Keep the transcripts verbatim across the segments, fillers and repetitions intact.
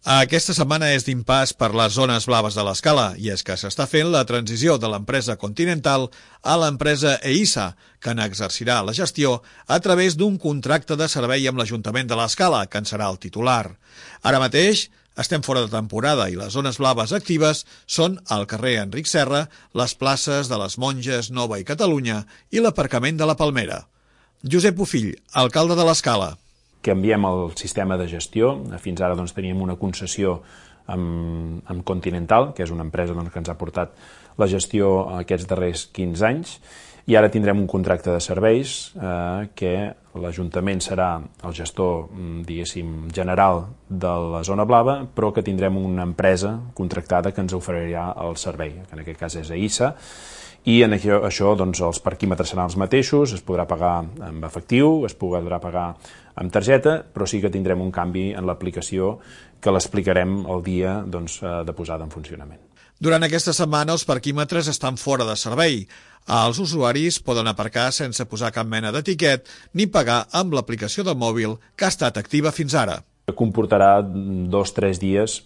Aquesta setmana és d'impàs per les zones blaves de l'Escala i és que s'està fent la transició de l'empresa Continental a l'empresa EISA, que n'exercirà la gestió a través d'un contracte de servei amb l'Ajuntament de l'Escala, que en serà el titular. Ara mateix estem fora de temporada i les zones blaves actives són el carrer Enric Serra, les places de les Monges, Nova i Catalunya i l'aparcament de la Palmera. Josep Bofill, alcalde de l'Escala. Canviem el sistema de gestió. Fins ara doncs, teníem una concessió amb, amb Continental, que és una empresa doncs, que ens ha portat la gestió aquests darrers quinze anys, i ara tindrem un contracte de serveis eh, que l'Ajuntament serà el gestor, diguéssim, general de la zona blava, però que tindrem una empresa contractada que ens oferirà el servei, que en aquest cas és EISA, i en això, això doncs, els parquímetres seran els mateixos, es podrà pagar amb efectiu, es podrà pagar amb targeta, però sí que tindrem un canvi en l'aplicació que l'explicarem el dia doncs, de posada en funcionament. Durant aquesta setmana els parquímetres estan fora de servei. Els usuaris poden aparcar sense posar cap mena d'etiquet ni pagar amb l'aplicació del mòbil que ha estat activa fins ara. Comportarà dos o tres dies,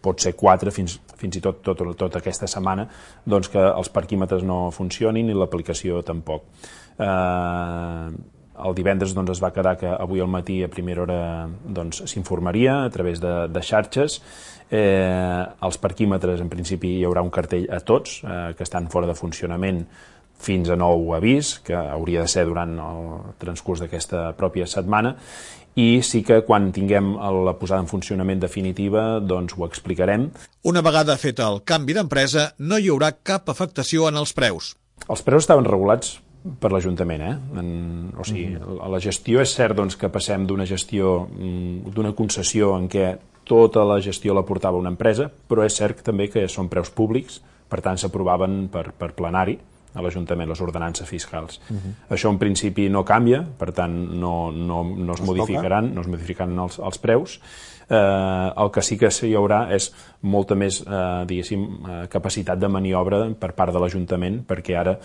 pot ser quatre, fins, fins i tot, tot tota aquesta setmana, doncs que els parquímetres no funcionin i l'aplicació tampoc. Eh, el divendres doncs, es va quedar que avui al matí a primera hora doncs, s'informaria a través de, de xarxes. Eh, els parquímetres, en principi, hi haurà un cartell a tots eh, que estan fora de funcionament fins a nou avís, que hauria de ser durant el transcurs d'aquesta pròpia setmana, i sí que quan tinguem la posada en funcionament definitiva doncs ho explicarem. Una vegada fet el canvi d'empresa, no hi haurà cap afectació en els preus. Els preus estaven regulats per l'Ajuntament, eh? En, o sigui, mm-hmm. La gestió és cert doncs, que passem d'una gestió, d'una concessió en què tota la gestió la portava una empresa, però és cert també que són preus públics, per tant s'aprovaven per, per plenari a l'Ajuntament, les ordenances fiscals. Uh-huh. Això en principi no canvia, per tant no, no, no es, es modificaran, no es modificaran els, els preus. Eh, el que sí que hi haurà és molta més eh, diguéssim, eh, capacitat de maniobra per part de l'Ajuntament, perquè ara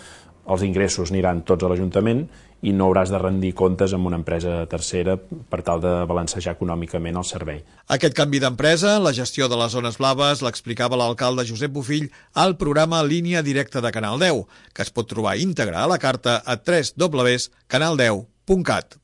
els ingressos aniran tots a l'Ajuntament i no hauràs de rendir comptes amb una empresa tercera per tal de balancejar econòmicament el servei. Aquest canvi d'empresa, la gestió de les zones blaves, l'explicava l'alcalde Josep Bofill al programa Línia Directa de Canal deu, que es pot trobar íntegre a la carta a w w w punt canal deu punt cat.